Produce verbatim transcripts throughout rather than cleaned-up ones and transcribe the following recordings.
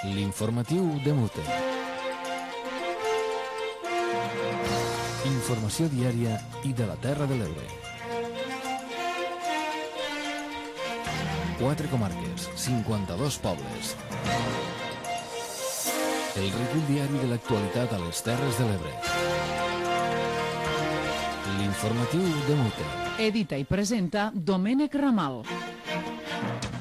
L'informatiu de Mute. Informació diària i de la Terra de l'Ebre. Quatre comarques, cinquanta-dos pobles. El recull diari de l'actualitat a les Terres de l'Ebre. L'informatiu de Mute. Edita i presenta Domènec Ramal.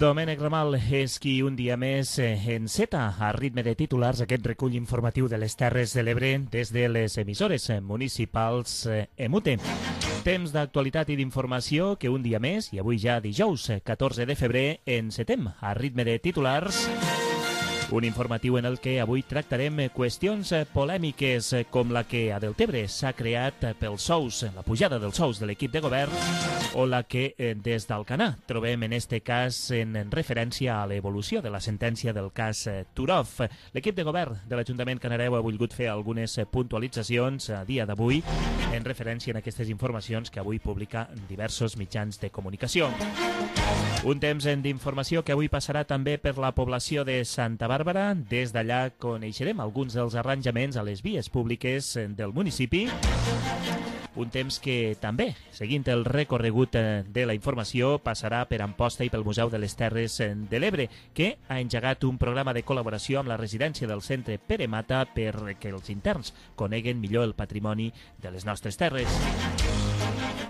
Domènec Ramal és qui un dia més enceta a ritme de titulars aquest recull informatiu de les Terres de l'Ebre des de les emissores municipals Emute. Temps d'actualitat i d'informació que un dia més, i avui ja dijous catorze de febrer, encetem a ritme de titulars. Un informatiu en el que avui tractarem qüestions polèmiques com la que a Deltebre s'ha creat pels sous, la pujada dels sous de l'equip de govern, o la que des d'Alcanar trobem en este cas en referència a l'evolució de la sentència del cas Turov. L'equip de govern de l'Ajuntament Canareu ha volgut fer algunes puntualitzacions a dia d'avui en referència a aquestes informacions que avui publica diversos mitjans de comunicació. Un temps d'informació que avui passarà també per la població de Santa Bàrbara. Des d'allà coneixerem alguns dels arranjaments a les vies públiques del municipi. Un temps que també, seguint el recorregut de la informació, passarà per Amposta i pel Museu de les Terres de l'Ebre, que ha engegat un programa de col·laboració amb la residència del centre Pere Mata perquè els interns coneguen millor el patrimoni de les nostres terres.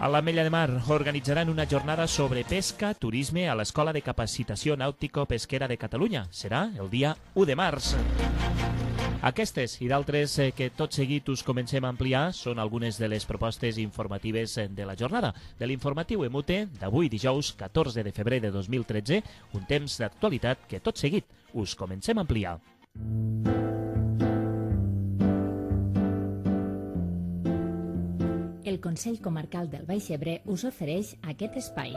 A l'Ametlla de Mar organitzaran una jornada sobre pesca, turisme a l'Escola de Capacitació Nàutico-Pesquera de Catalunya. Serà el dia u de març. Aquestes i d'altres que tot seguit us comencem a ampliar són algunes de les propostes informatives de la jornada de l'informatiu Emute d'avui dijous catorze de febrer de dos mil tretze, un temps d'actualitat que tot seguit us comencem a ampliar. El Consell Comarcal del Baix Ebre us ofereix aquest espai.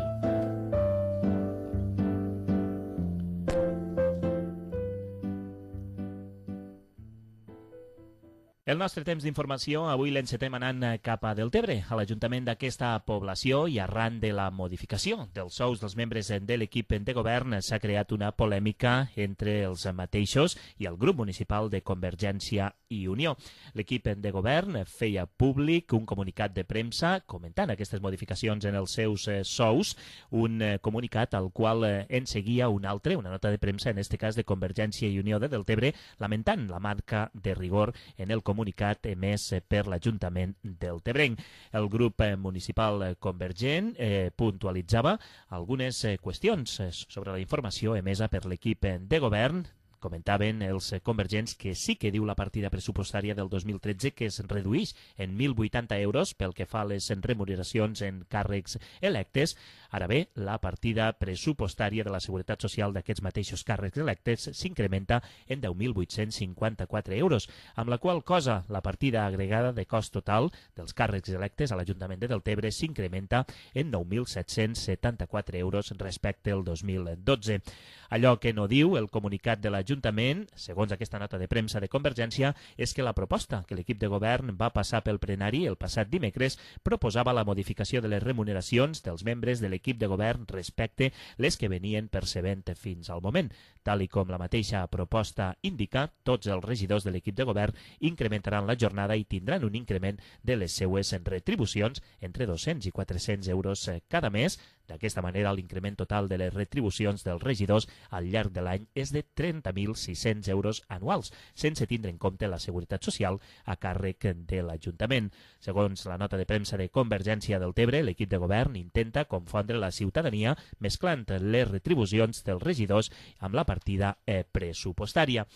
El nostre temps d'informació avui l'encetem anant cap a Deltebre, a l'Ajuntament d'aquesta població, i arran de la modificació dels sous dels membres de l'equip de govern s'ha creat una polèmica entre els mateixos i el grup municipal de Convergència i Unió. L'equip de govern feia públic un comunicat de premsa comentant aquestes modificacions en els seus sous, un comunicat al qual en seguia un altre, una nota de premsa, en aquest cas de Convergència i Unió de Deltebre, lamentant la marca de rigor en el comunicat comunicat emès per l'Ajuntament deltebrenc. El grup municipal convergent eh, puntualitzava algunes eh, qüestions sobre la informació emesa per l'equip de govern. Comentaven els convergents que sí que diu la partida pressupostària del dos mil tretze que es redueix en mil vuitanta euros pel que fa a les remuneracions en càrrecs electes. Ara bé, la partida pressupostària de la Seguretat Social d'aquests mateixos càrrecs electes s'incrementa en deu mil vuit-cents cinquanta-quatre euros, amb la qual cosa la partida agregada de cost total dels càrrecs electes a l'Ajuntament de Deltebre s'incrementa en nou mil set-cents setanta-quatre euros respecte al dos mil dotze. Allò que no diu el comunicat de l'Ajuntament, segons aquesta nota de premsa de Convergència, és que la proposta que l'equip de govern va passar pel plenari el passat dimecres proposava la modificació de les remuneracions dels membres de l'equip de govern respecte les que venien percebent fins al moment. Tal i com la mateixa proposta indica, tots els regidors de l'equip de govern incrementaran la jornada i tindran un increment de les seues retribucions entre dos-cents i quatre-cents euros cada mes. D'aquesta manera, l'increment total de les retribucions dels regidors al llarg de l'any és de trenta mil sis-cents euros anuals, sense tindre en compte la seguretat social a càrrec de l'Ajuntament. Segons la nota de premsa de Convergència del Tebre, l'equip de govern intenta confondre la ciutadania mesclant les retribucions dels regidors amb la partida eh, pressupostària.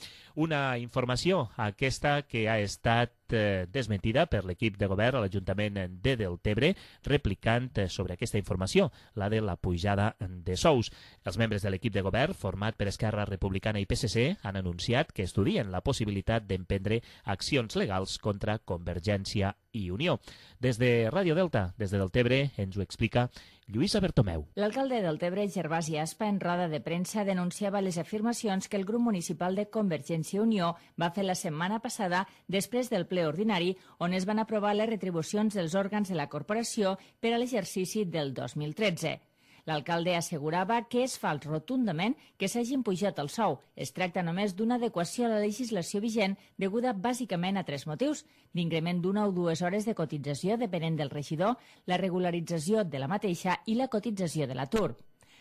Una informació aquesta que ha estat eh, desmentida per l'equip de govern a l'Ajuntament de Deltebre, replicant eh, sobre aquesta informació, la de la pujada de sous. Els membres de l'equip de govern, format per Esquerra Republicana i P S C, han anunciat que estudien la possibilitat d'emprendre accions legals contra Convergència i Unió. Des de Ràdio Delta, des de Deltebre, ens ho explica Lluïsa Bertomeu. L'alcalde de Deltebre, Gervasi Aspa, en roda de premsa denunciava les afirmacions que el grup municipal de Convergència i Unió va fer la setmana passada després del ple ordinari on es van aprovar les retribucions dels òrgans de la corporació per a l'exercici del dos mil tretze. L'alcalde assegurava que és fals rotundament que s'hagin pujat el sou. Es tracta només d'una adequació a la legislació vigent deguda bàsicament a tres motius: l'increment d'una o dues hores de cotització depenent del regidor, la regularització de la mateixa i la cotització de l'atur.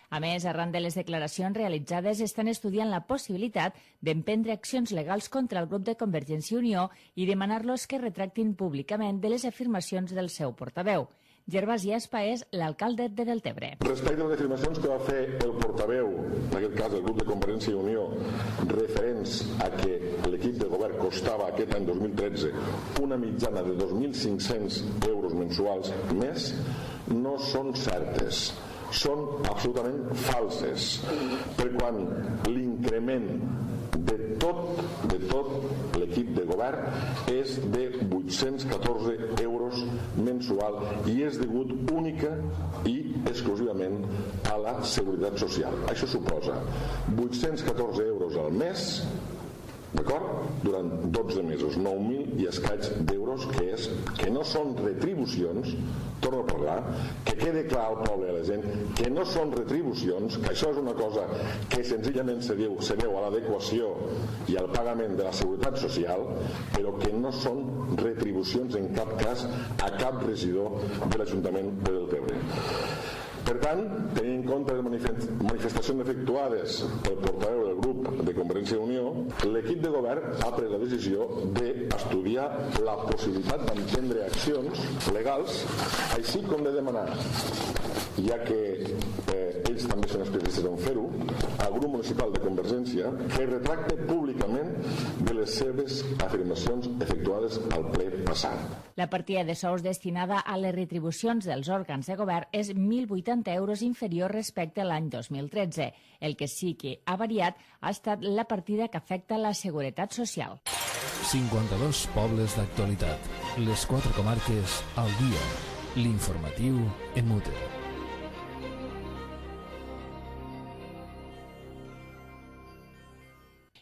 A més, arran de les declaracions realitzades, estan estudiant la possibilitat d'emprendre accions legals contra el grup de Convergència i Unió i demanar-los que retractin públicament de les afirmacions del seu portaveu. Gervasi Aspa és l'alcalde de Deltebre. Respecte a les afirmacions que va fer el portaveu, en aquest cas del grup de Convergència i Unió, referents a que l'equip de govern costava aquest any dos mil tretze una mitjana de dos mil cinc-cents euros mensuals més, no són certes. Són absolutament falses, per quan l'increment de tot, de tot l'equip de govern és de vuit-cents catorze euros mensual i és degut única i exclusivament a la Seguretat Social. Això suposa vuit-cents catorze euros al mes, d'acord? Durant dotze mesos, nou mil i escaig d'euros, que, és, que no són retribucions, torno a parlar, que quede clar al poble i a la gent que no són retribucions, que això és una cosa que senzillament se deu, se deu a l'adequació i al pagament de la Seguretat Social, però que no són retribucions en cap cas a cap regidor de l'Ajuntament de Deltebre. Per tant, tenint en compte les manifestacions efectuades pel portaveu del grup de Convergència i Unió, l'equip de govern ha pres la decisió d'estudiar la possibilitat d'emprendre accions legals, així com de demanar, ja que eh, ells també són especialistes en fer-ho, al grup municipal de Convergència que retracte públicament de les seves afirmacions efectuades al ple passat. La partida de sous destinada a les retribucions dels òrgans de govern és mil vuitanta euros inferior respecte a l'any dos mil tretze. El que sí que ha variat ha estat la partida que afecta la Seguretat Social. cinquanta-dos pobles d'actualitat. Les quatre comarques al dia. L'informatiu en Mute.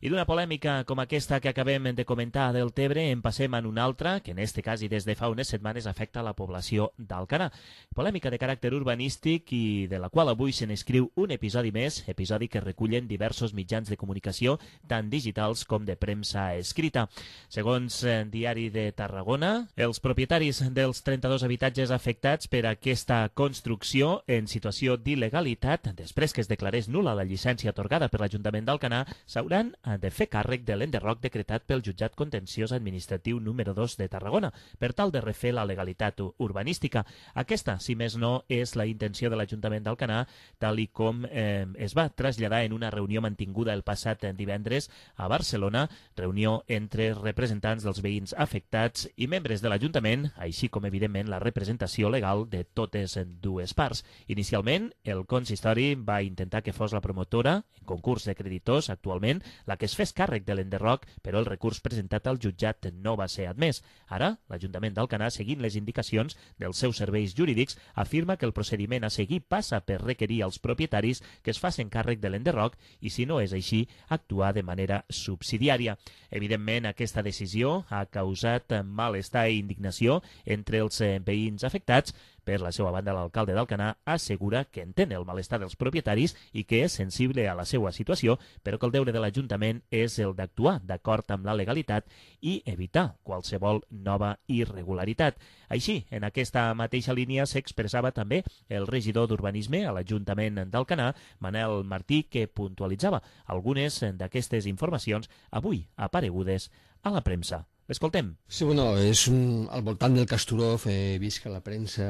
I d'una polèmica com aquesta que acabem de comentar del Tebre en passem en una altra, que en este cas i des de fa unes setmanes afecta la població d'Alcanar. Polèmica de caràcter urbanístic i de la qual avui se n'escriu un episodi més, episodi que recullen diversos mitjans de comunicació, tant digitals com de premsa escrita. Segons el Diari de Tarragona, els propietaris dels trenta-dos habitatges afectats per aquesta construcció en situació d'il·legalitat, després que es declarés nul·la la llicència atorgada per l'Ajuntament d'Alcanar, s'hauran de fer càrrec de l'enderroc decretat pel Jutjat Contenciós Administratiu número dos de Tarragona, per tal de refer la legalitat urbanística. Aquesta, si més no, és la intenció de l'Ajuntament d'Alcanar, tal i com eh, es va traslladar en una reunió mantinguda el passat divendres a Barcelona, reunió entre representants dels veïns afectats i membres de l'Ajuntament, així com, evidentment, la representació legal de totes dues parts. Inicialment, el consistori va intentar que fos la promotora, en concurs de creditors, actualment, la que es fes càrrec de l'enderroc, però el recurs presentat al jutjat no va ser admès. Ara, l'Ajuntament d'Alcanar, seguint les indicacions dels seus serveis jurídics, afirma que el procediment a seguir passa per requerir als propietaris que es facin càrrec de l'enderroc i, si no és així, actuar de manera subsidiària. Evidentment, aquesta decisió ha causat malestar i indignació entre els veïns afectats. Per la seva banda, l'alcalde d'Alcanar assegura que entén el malestar dels propietaris i que és sensible a la seva situació, però que el deure de l'Ajuntament és el d'actuar d'acord amb la legalitat i evitar qualsevol nova irregularitat. Així, en aquesta mateixa línia s'expressava també el regidor d'Urbanisme a l'Ajuntament d'Alcanar, Manel Martí, que puntualitzava algunes d'aquestes informacions avui aparegudes a la premsa. L'escoltem. Sí, bueno, és un, al voltant del Casturov, he vist que la premsa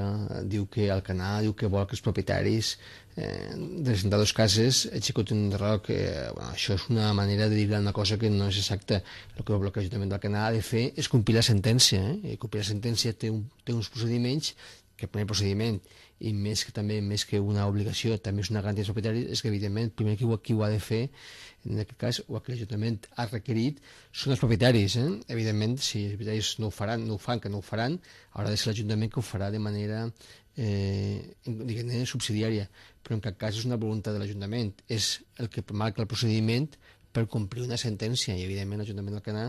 diu que Alcanar diu que vol que els propietaris eh, de les trenta-dues cases executin un enderroc, que bueno, això és una manera de dir una cosa que no és exacta. El que l'Ajuntament d'Alcanar ha de fer és complir la sentència, eh? I complir la sentència té, un, té uns procediments, que el primer procediment, i més que també més que una obligació, també és una garantia dels propietaris, és que evidentment el primer qui ho, qui ho ha de fer, en aquest cas, o que l'Ajuntament ha requerit, són els propietaris. Eh? Evidentment, si els propietaris no ho faran, no ho fan, que no ho faran, haurà de ser l'Ajuntament que ho farà de manera eh, diguem-ne subsidiària, però en cap cas és una voluntat de l'Ajuntament, és el que marca el procediment per complir una sentència, i evidentment l'Ajuntament d'Alcanar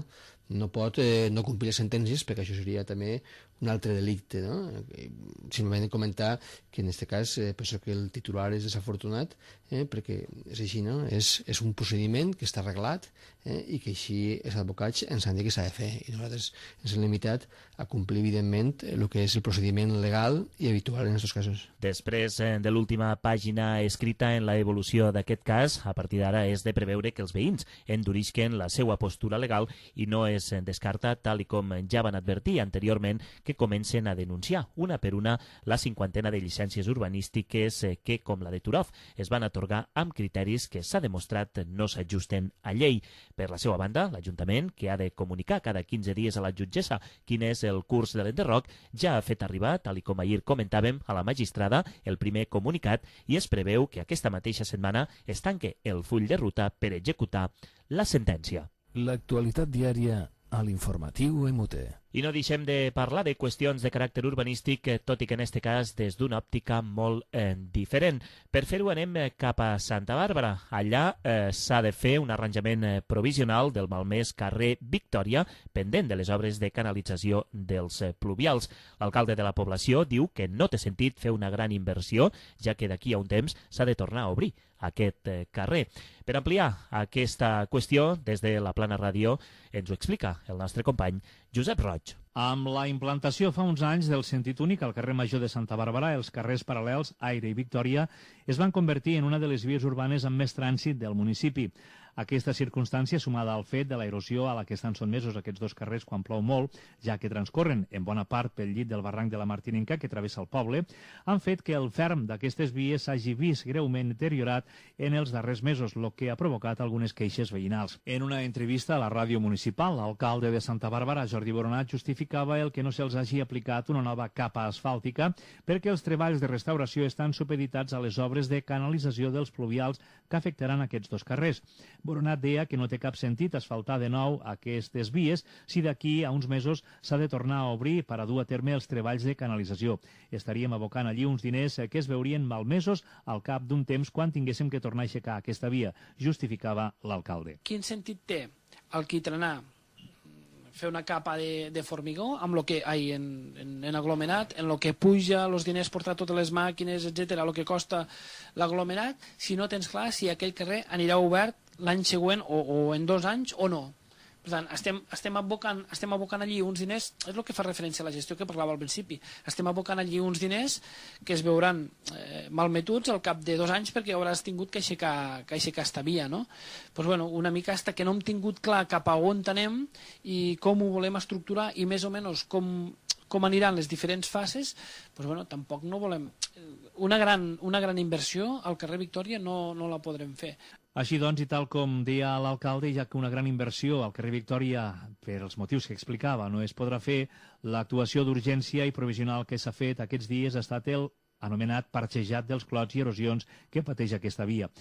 no pot eh, no complir les sentències, perquè això seria també un altre delicte, no? Simplement comentar que en aquest cas eh, penso que el titular és desafortunat, eh, perquè és així, no? És, és un procediment que està arreglat eh, i que així els advocats ens han dit que s'ha de fer, i nosaltres ens hem limitat a complir, evidentment, el que és el procediment legal i habitual en aquests casos. Després eh, de l'última pàgina escrita en la evolució d'aquest cas, a partir d'ara és de preveure que els veïns endurisquen la seva postura legal i no es descarta, tal i com ja van advertir anteriorment, que comencen a denunciar una per una la cinquantena de llicències urbanístiques que, com la de Turof, es van atorgar amb criteris que s'ha demostrat no s'ajusten a llei. Per la seva banda, l'Ajuntament, que ha de comunicar cada quinze dies a la jutgessa quin és el curs de l'enderroc, ja ha fet arribar, tal i com ahir comentàvem, a la magistrada el primer comunicat i es preveu que aquesta mateixa setmana es tanque el full de ruta per executar la sentència. L'actualitat diària a l'informatiu M U T. I no deixem de parlar de qüestions de caràcter urbanístic, tot i que en aquest cas des d'una òptica molt eh, diferent. Per fer-ho anem cap a Santa Bàrbara. Allà eh, s'ha de fer un arranjament eh, provisional del malmès carrer Victòria, pendent de les obres de canalització dels eh, pluvials. L'alcalde de la població diu que no té sentit fer una gran inversió, ja que d'aquí a un temps s'ha de tornar a obrir aquest eh, carrer. Per ampliar aquesta qüestió, des de la Plana Ràdio, ens ho explica el nostre company Josep Roig. Amb la implantació fa uns anys del sentit únic al carrer Major de Santa Bàrbara, els carrers paral·lels Aire i Victòria es van convertir en una de les vies urbanes amb més trànsit del municipi. Aquesta circumstància, sumada al fet de l'erosió a la que estan sotmesos aquests dos carrers quan plou molt, ja que transcorren en bona part pel llit del barranc de la Martininca que travessa el poble, han fet que el ferm d'aquestes vies s'hagi vist greument deteriorat en els darrers mesos, el que ha provocat algunes queixes veïnals. En una entrevista a la ràdio municipal, l'alcalde de Santa Bàrbara, Jordi Boronat, justificava el que no se'ls hagi aplicat una nova capa asfàltica perquè els treballs de restauració estan supeditats a les obres de canalització dels pluvials que afectaran aquests dos carrers. Boronat deia que no té cap sentit asfaltar de nou aquestes vies si d'aquí a uns mesos s'ha de tornar a obrir per a dur a terme els treballs de canalització. Estaríem abocant allí uns diners que es veurien malmesos al cap d'un temps quan tinguéssim que tornar a aixecar aquesta via, justificava l'alcalde. Quin sentit té alquitrenar, fer una capa de, de formigó amb lo que hay en, en, en aglomerat, en lo que puja els diners, portar totes les màquines, etcètera, el que costa l'aglomerat, si no tens clar si aquell carrer anirà obert l'any següent o, o en dos anys o no. Per tant, estem, estem, abocant, estem abocant allí uns diners, és el que fa referència a la gestió que parlava al principi, estem abocant allí uns diners que es veuran eh, malmetuts al cap de dos anys perquè hauràs tingut que aixecar, que aixecar esta via, no? Pues bueno, una mica hasta que no hem tingut clar cap a on anem i com ho volem estructurar i més o menys com, com aniran les diferents fases, pues bueno, tampoc no volem... Una gran, una gran inversió al carrer Victòria no, no la podrem fer. Així doncs, i tal com deia l'alcalde, ja que una gran inversió al carrer Victòria, per els motius que explicava, no es podrà fer, l'actuació d'urgència i provisional que s'ha fet aquests dies ha estat el anomenat parxejat dels clots i erosions que pateix aquesta via.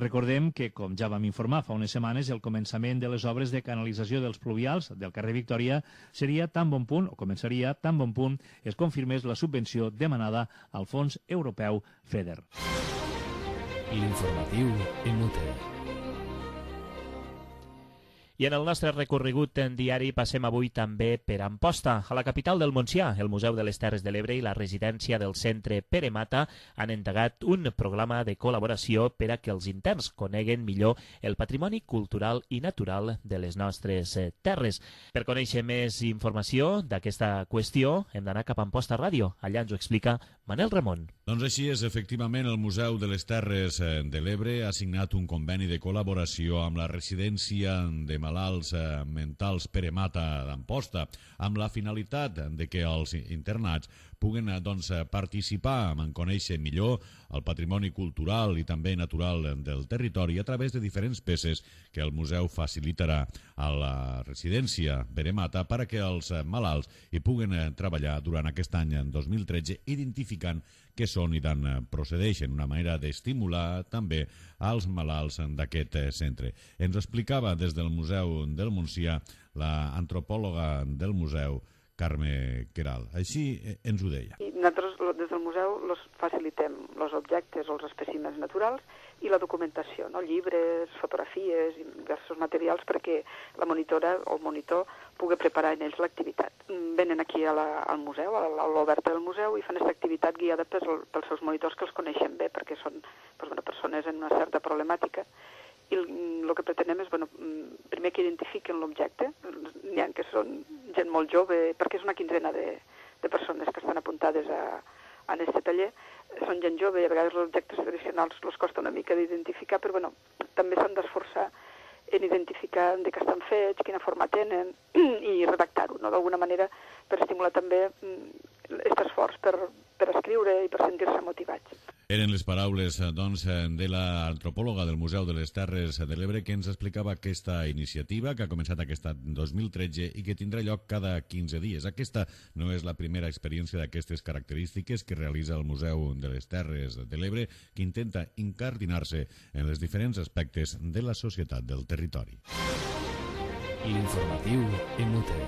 Recordem que, com ja vam informar fa unes setmanes, el començament de les obres de canalització dels pluvials del carrer Victòria seria tan bon punt, o començaria tan bon punt, es confirmés la subvenció demanada al Fons Europeu FEDER. L'informatiu M U T. I en el nostre recorregut en diari passem avui també per Amposta. A la capital del Montsià, el Museu de les Terres de l'Ebre i la residència del Centre Pere Mata han endegat un programa de col·laboració per a que els interns coneguen millor el patrimoni cultural i natural de les nostres terres. Per conèixer més informació d'aquesta qüestió, hem d'anar cap a Amposta Ràdio. Allà ens ho explica Manel Ramon. Doncs així és, efectivament, el Museu de les Terres de l'Ebre ha signat un conveni de col·laboració amb la residència de malalts mentals Pere Mata d'Amposta, amb la finalitat de que els internats puguen doncs, participar en conèixer millor el patrimoni cultural i també natural del territori a través de diferents peces que el museu facilitarà a la residència Pere Mata per a que els malalts hi puguen treballar durant aquest any dos mil tretze identificant què són i d'on procedeixen, una manera d'estimular també als malalts d'aquest centre. Ens explicava des del Museu del Montsià l'antropòloga del museu, Carme Queralt. Així ens ho deia. I nosaltres, des del museu, los facilitem els objectes o els espècimens naturals i la documentació, no? Llibres, fotografies i diversos materials perquè la monitora o el monitor pugui preparar en ells l'activitat. Venen aquí a la, al museu, a l'oberta del museu, i fan aquesta activitat guiada pels, pels seus monitors que els coneixen bé, perquè són doncs, bueno, persones amb una certa problemàtica. I el que pretenem és, bueno, primer que identifiquen l'objecte, n'hi ha que són gent molt jove, perquè és una quinzena de, de persones que estan apuntades a, a aquest taller, són gent jove i a vegades els objectes tradicionals els costa una mica d'identificar, però bueno, també s'han d'esforçar en identificar de què estan fets, quina forma tenen i redactar-ho, no? D'alguna manera per estimular també aquest esforç per, per escriure i per sentir-se motivats. Eren les paraules doncs, de l'antropòloga del Museu de les Terres de l'Ebre que ens explicava aquesta iniciativa que ha començat aquest dos mil tretze i que tindrà lloc cada quinze dies. Aquesta no és la primera experiència d'aquestes característiques que realitza el Museu de les Terres de l'Ebre, que intenta incardinar-se en els diferents aspectes de la societat del territori. L'informatiu M U T.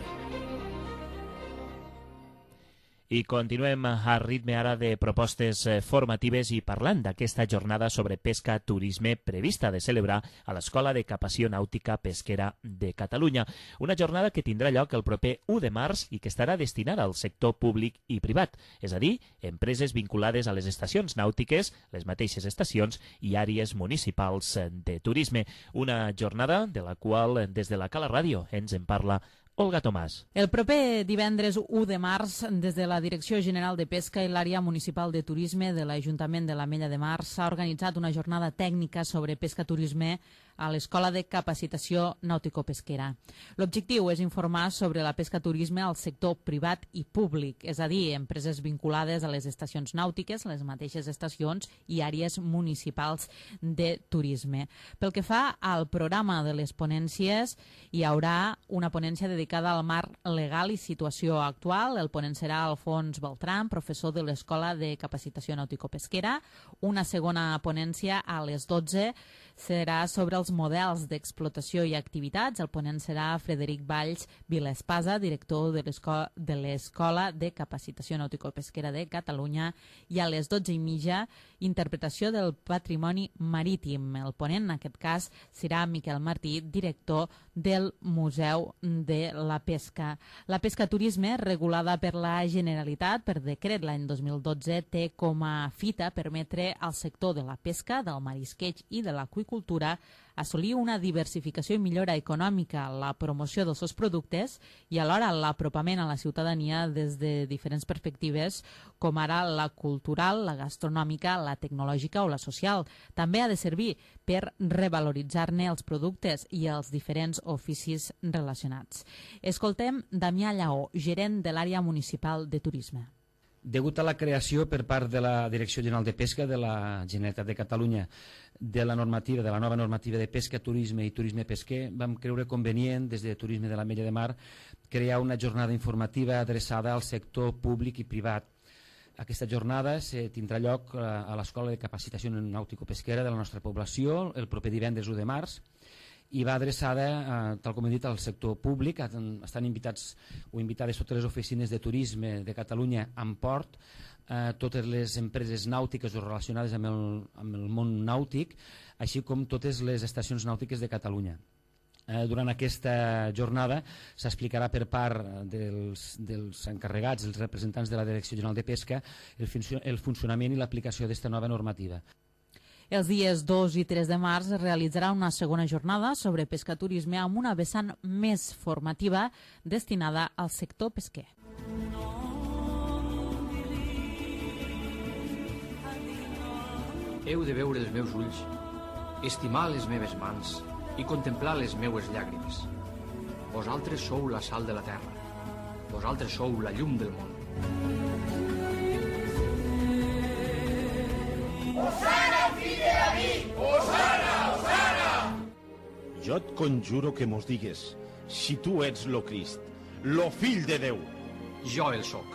I continuem a ritme ara de propostes formatives i parlant d'aquesta jornada sobre pesca turisme prevista de celebrar a l'Escola de Capacitació Nàutica Pesquera de Catalunya. Una jornada que tindrà lloc el proper u de març i que estarà destinada al sector públic i privat, és a dir, empreses vinculades a les estacions nàutiques, les mateixes estacions i àrees municipals de turisme. Una jornada de la qual des de la Cala Ràdio ens en parla Olga Tomàs. El proper divendres u de març, des de la Direcció General de Pesca i l'Àrea Municipal de Turisme de l'Ajuntament de l'Ametlla de Mar s'ha organitzat una jornada tècnica sobre pesca-turisme a l'Escola de Capacitació Nàutico-Pesquera. L'objectiu és informar sobre la pesca-turisme al sector privat i públic, és a dir, empreses vinculades a les estacions nàutiques, les mateixes estacions i àrees municipals de turisme. Pel que fa al programa de les ponències, hi haurà una ponència dedicada al marc legal i situació actual. El ponent serà Alfons Beltran, professor de l'Escola de Capacitació Nàutico-Pesquera. Una segona ponència a les dotze serà sobre els models d'explotació i activitats. El ponent serà Frederic Valls Vilespasa, director de l'Escola de Capacitació Nàutico-Pesquera de Catalunya. I a les dotze i mitja, interpretació del patrimoni marítim. El ponent, en aquest cas, serà Miquel Martí, director del Museu de la Pesca. La pesca-turisme, regulada per la Generalitat per decret l'any dos mil dotze, té com a fita permetre al sector de la pesca, del marisqueig i de l'aqüicultura assolir una diversificació i millora econòmica, la promoció dels seus productes i alhora l'apropament a la ciutadania des de diferents perspectives, com ara la cultural, la gastronòmica, la tecnològica o la social. També ha de servir per revaloritzar-ne els productes i els diferents oficis relacionats. Escoltem Damià Lleó, gerent de l'àrea municipal de turisme. Degut a la creació per part de la Direcció General de Pesca de la Generalitat de Catalunya de la normativa, de la nova normativa de pesca, turisme i turisme pesquer, vam creure convenient, des de Turisme de l'Ametlla de Mar, crear una jornada informativa adreçada al sector públic i privat. Aquesta jornada se tindrà lloc a l'Escola de Capacitació Nàutico-Pesquera de la nostra població el proper divendres u de març, i va adreçada, eh, tal com he dit, al sector públic. Estan invitats o invitades totes les oficines de turisme de Catalunya amb port, eh, totes les empreses nàutiques o relacionades amb el, amb el món nàutic, així com totes les estacions nàutiques de Catalunya. Eh, durant aquesta jornada s'explicarà per part dels, dels encarregats, els representants de la Direcció General de Pesca, el, funcio el funcionament i l'aplicació d'esta nova normativa. Els dies dos i tres de març es realitzarà una segona jornada sobre pesca-turisme amb una vessant més formativa destinada al sector pesquer. Heu de veure els meus ulls, estimar les meves mans i contemplar les meues llàgrimes. Vosaltres sou la sal de la terra. Vosaltres sou la llum del món. Osana, fill de David! Osana, Osana! Jo et conjuro que mos digues si tu ets lo Crist, lo fill de Déu. Jo el soc.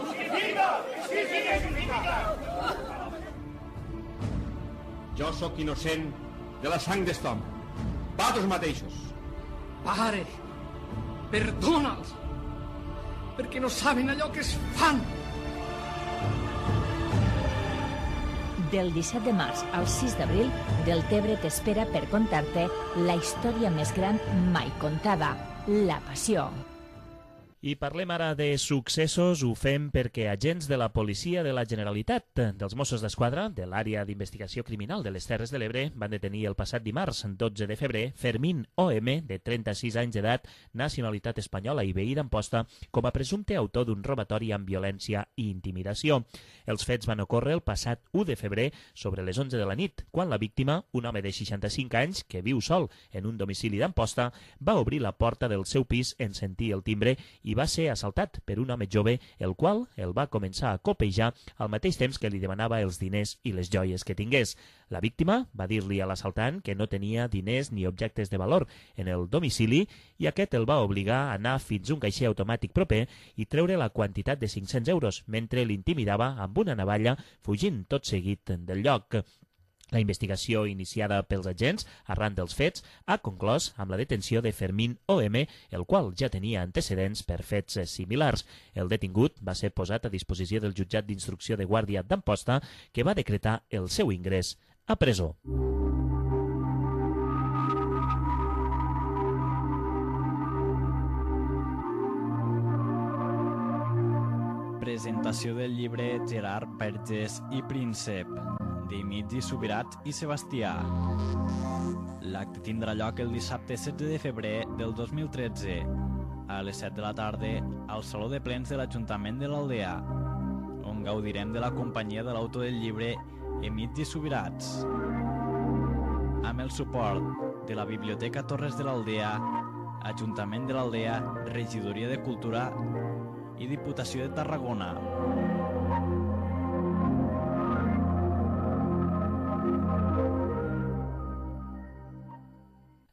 Significa! Significa! Significa! Jo sóc innocent de la sang d'este home. Vosaltres mateixos. Pare, perdona'ls, perquè no saben allò que es fan. Del disset de març al sis d'abril, Deltebre t'espera per contar-te la història més gran mai contada, la Passió. I parlem ara de successos, ho fem perquè agents de la policia de la Generalitat, dels Mossos d'Esquadra, de l'àrea d'investigació criminal de les Terres de l'Ebre, van detenir el passat dimarts, dotze de febrer, Fermín O M, de trenta-sis anys d'edat, nacionalitat espanyola i veí d'Amposta, com a presumpte autor d'un robatori amb violència i intimidació. Els fets van ocórrer el passat u de febrer, sobre les onze de la nit, quan la víctima, un home de seixanta-cinc anys, que viu sol en un domicili d'Amposta, va obrir la porta del seu pis en sentir el timbre i va ser assaltat per un home jove, el qual el va començar a copejar al mateix temps que li demanava els diners i les joies que tingués. La víctima va dir-li a l'assaltant que no tenia diners ni objectes de valor en el domicili i aquest el va obligar a anar fins a un caixer automàtic proper i treure la quantitat de cinc-cents euros, mentre l'intimidava amb una navalla, fugint tot seguit del lloc. La investigació iniciada pels agents arran dels fets ha conclòs amb la detenció de Fermín O M, el qual ja tenia antecedents per fets similars. El detingut va ser posat a disposició del jutjat d'instrucció de Guàrdia d'Amposta, que va decretar el seu ingrés a presó. Presentació del llibre Gerard Vergés i Príncep, Dimitri Subirats i Sebastià. L'acte tindrà lloc el dissabte setze de febrer del dos mil tretze, a les set de la tarda, al Saló de Plens de l'Ajuntament de l'Aldea, on gaudirem de la companyia de l'autor del llibre Dimitri Subirats, amb el suport de la Biblioteca Torres de l'Aldea, Ajuntament de l'Aldea, Regidoria de Cultura i Diputació de Tarragona.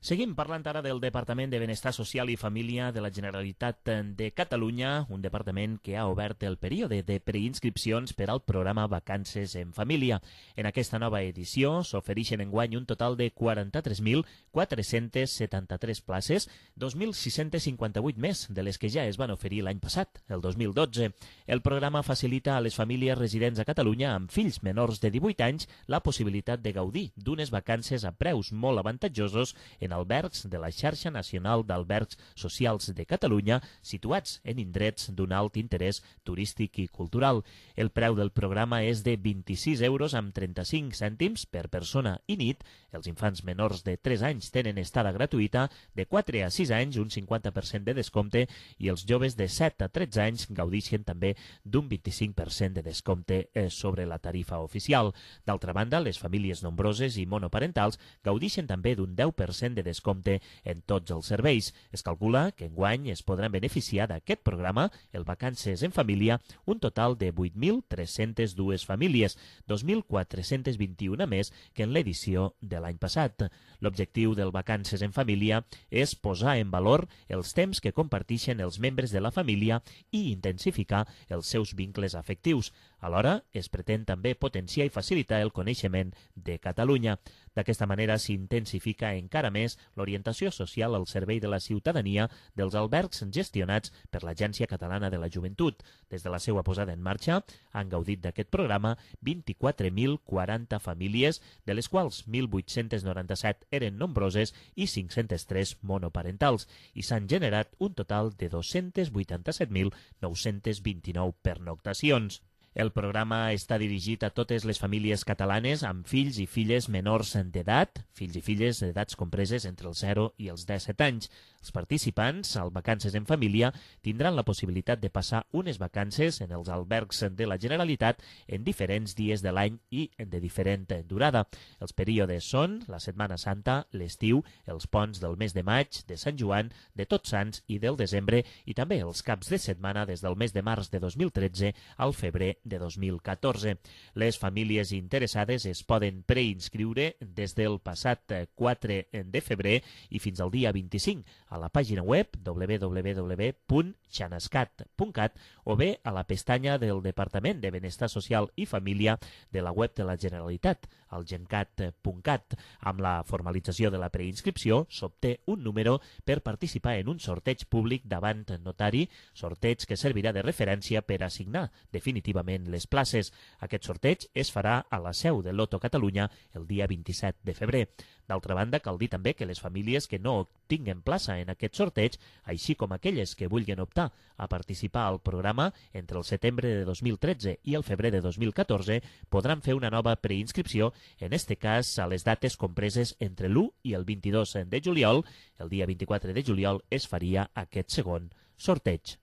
Seguim parlant ara del Departament de Benestar Social i Família de la Generalitat de Catalunya, un departament que ha obert el període de preinscripcions per al programa Vacances en Família. En aquesta nova edició s'ofereixen enguany un total de quaranta-tres mil quatre-cents setanta-tres places, dos mil sis-cents cinquanta-vuit més de les que ja es van oferir l'any passat, el dos mil dotze. El programa facilita a les famílies residents a Catalunya amb fills menors de divuit anys la possibilitat de gaudir d'unes vacances a preus molt avantatjosos en albergs de la Xarxa Nacional d'Albergs Socials de Catalunya, situats en indrets d'un alt interès turístic i cultural. El preu del programa és de vint-i-sis euros amb trenta-cinc cèntims per persona i nit. Els infants menors de tres anys tenen estada gratuïta, de quatre a sis anys un cinquanta per cent de descompte i els joves de set a tretze anys gaudeixen també d'un vint-i-cinc per cent de descompte sobre la tarifa oficial. D'altra banda, les famílies nombroses i monoparentals gaudeixen també d'un deu per cent de descompte en tots els serveis. Es calcula que enguany es podran beneficiar d'aquest programa, el Vacances en Família, un total de vuit mil tres-centes dues famílies, dos mil quatre-cents vint-i-un més que en l'edició de l'any passat. L'objectiu del Vacances en Família és posar en valor els temps que comparteixen els membres de la família i intensificar els seus vincles afectius. Alhora, es pretén també potenciar i facilitar el coneixement de Catalunya. D'aquesta manera s'intensifica encara més l'orientació social al servei de la ciutadania dels albergs gestionats per l'Agència Catalana de la Joventut. Des de la seva posada en marxa han gaudit d'aquest programa vint-i-quatre mil quaranta famílies, de les quals mil vuit-cents noranta-set eren nombroses i cinc-cents tres monoparentals, i s'han generat un total de dos-cents vuitanta-set mil nou-cents vint-i-nou pernoctacions. El programa està dirigit a totes les famílies catalanes amb fills i filles menors d'edat, fills i filles d'edats compreses entre els zero i els disset anys. Els participants al Vacances en Família tindran la possibilitat de passar unes vacances en els albergs de la Generalitat en diferents dies de l'any i de diferent durada. Els períodes són la Setmana Santa, l'estiu, els ponts del mes de maig, de Sant Joan, de Tots Sants i del desembre, i també els caps de setmana des del mes de març de dos mil tretze al febrer de dos mil catorze. Les famílies interessades es poden preinscriure des del passat quatre de febrer i fins al dia vint-i-cinc a la pàgina web w w w punt xanascat punt cat o bé a la pestanya del Departament de Benestar Social i Família de la web de la Generalitat, al gencat punt cat. Amb la formalització de la preinscripció s'obté un número per participar en un sorteig públic davant notari, sorteig que servirà de referència per assignar definitivament les places. Aquest sorteig es farà a la seu de Loto Catalunya el dia vint-i-set de febrer. D'altra banda, cal dir també que les famílies que no tinguen plaça en aquest sorteig, així com aquelles que vulguin optar a participar al programa entre el setembre de dos mil tretze i el febrer de dos mil catorze, podran fer una nova preinscripció, en este cas a les dates compreses entre l'u i el vint-i-dos de juliol. El dia vint-i-quatre de juliol es faria aquest segon sorteig.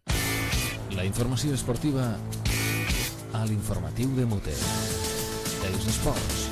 La informació esportiva a l'informatiu de Mute. Els esports.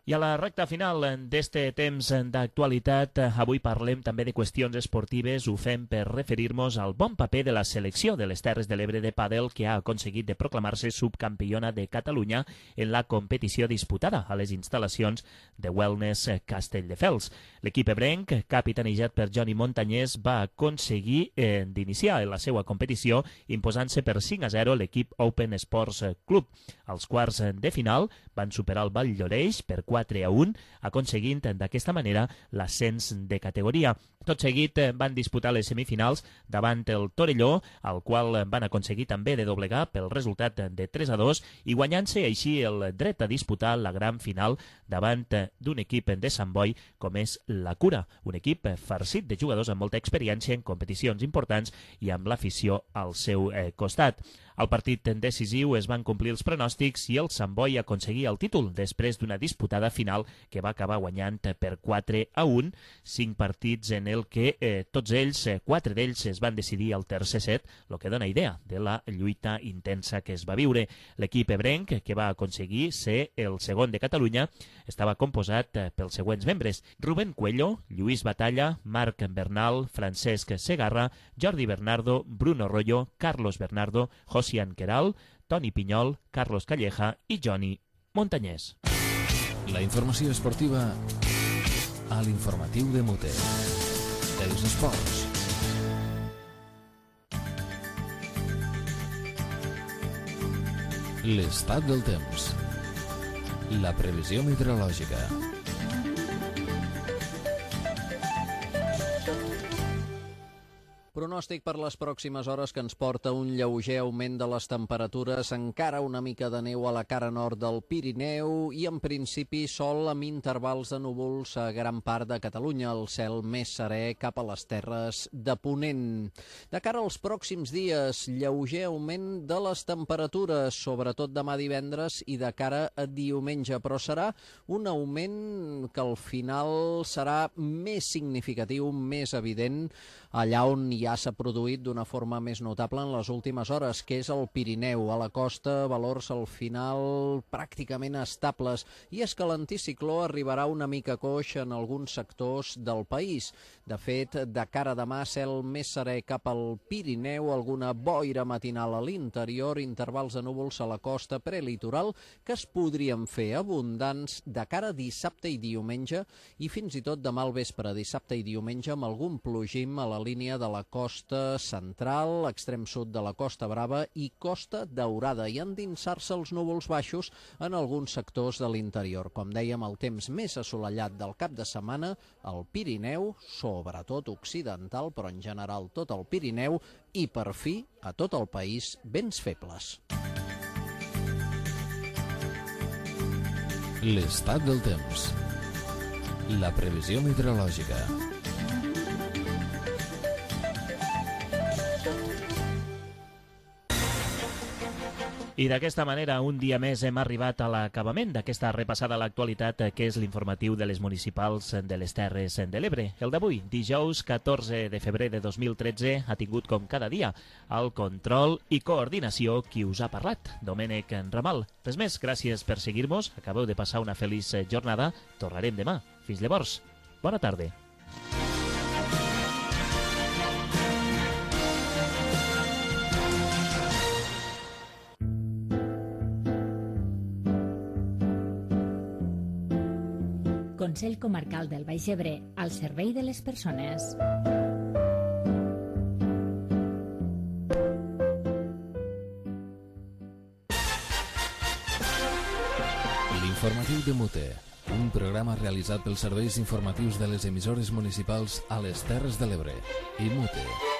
I a la recta final d'este temps d'actualitat, avui parlem també de qüestions esportives. Ho fem per referir-nos al bon paper de la selecció de les Terres de l'Ebre de pàdel, que ha aconseguit de proclamar-se subcampiona de Catalunya en la competició disputada a les instal·lacions de Wellness Castelldefels. L'equip ebrenc, capitanejat per Johnny Montañés, va aconseguir eh, d'iniciar la seva competició imposant-se per cinc a zero l'equip Open Sports Club. Als quarts de final van superar el Valldoreix per quatre a un, aconseguint d'aquesta manera l'ascens de categoria. Tot seguit van disputar les semifinals davant el Torelló, al qual van aconseguir també de doblegar pel resultat de tres a dos i guanyant-se així el dret a disputar la gran final davant d'un equip de Sant Boi com és la Cura, un equip farcit de jugadors amb molta experiència en competicions importants i amb l'afició al seu costat. Al partit decisiu es van complir els pronòstics i el Sant Boi aconseguia el títol després d'una disputada final que va acabar guanyant per quatre a un, cinc partits en el que eh, tots ells, eh, quatre d'ells es van decidir al tercer set, el que dona idea de la lluita intensa que es va viure. L'equip ebrenc, que va aconseguir ser el segon de Catalunya, estava composat eh, pels següents membres: Rubén Cuello, Lluís Batalla, Marc Bernal, Francesc Segarra, Jordi Bernardo, Bruno Rollo, Carlos Bernardo, Josian Queral, Toni Pinyol, Carlos Calleja i Johnny Montañés. La informació esportiva a l'informatiu de Mute. Els esports. L'estat del temps. La previsió meteorològica. Pronòstic per les pròximes hores que ens porta un lleuger augment de les temperatures, encara una mica de neu a la cara nord del Pirineu i en principi sol amb intervals de núvols a gran part de Catalunya, el cel més serè cap a les terres de Ponent. De cara als pròxims dies, lleuger augment de les temperatures, sobretot demà divendres i de cara a diumenge, però serà un augment que al final serà més significatiu, més evident, allà on ja s'ha produït d'una forma més notable en les últimes hores, que és el Pirineu. A la costa, valors al final pràcticament estables, i és que l'anticicló arribarà una mica coix en alguns sectors del país. De fet, de cara a demà, cel més serè cap al Pirineu, alguna boira matinal a l'interior, intervals de núvols a la costa prelitoral que es podrien fer abundants de cara a dissabte i diumenge, i fins i tot demà al vespre, dissabte i diumenge, amb algun plogim a la línia de la costa central, extrem sud de la Costa Brava i Costa Daurada, i endinsar-se els núvols baixos en alguns sectors de l'interior. Com dèiem, el temps més assolellat del cap de setmana al Pirineu, sobretot occidental, però en general tot el Pirineu, i per fi a tot el país vents febles. L'estat del temps. La previsió meteorològica. I d'aquesta manera, un dia més hem arribat a l'acabament d'aquesta repassada a l'actualitat, que és l'informatiu de les municipals de les Terres de l'Ebre. El d'avui, dijous catorze de febrer de dos mil tretze, ha tingut com cada dia el control i coordinació qui us ha parlat, Domènec Ramal. Res més, gràcies per seguir-nos, acabeu de passar una feliç jornada, tornarem demà. Fins llavors, bona tarda. Consell Comarcal del Baix Ebre, al servei de les persones. L'informatiu de Mute, un programa realitzat pels serveis informatius de les emissores municipals a les Terres de l'Ebre i Mute.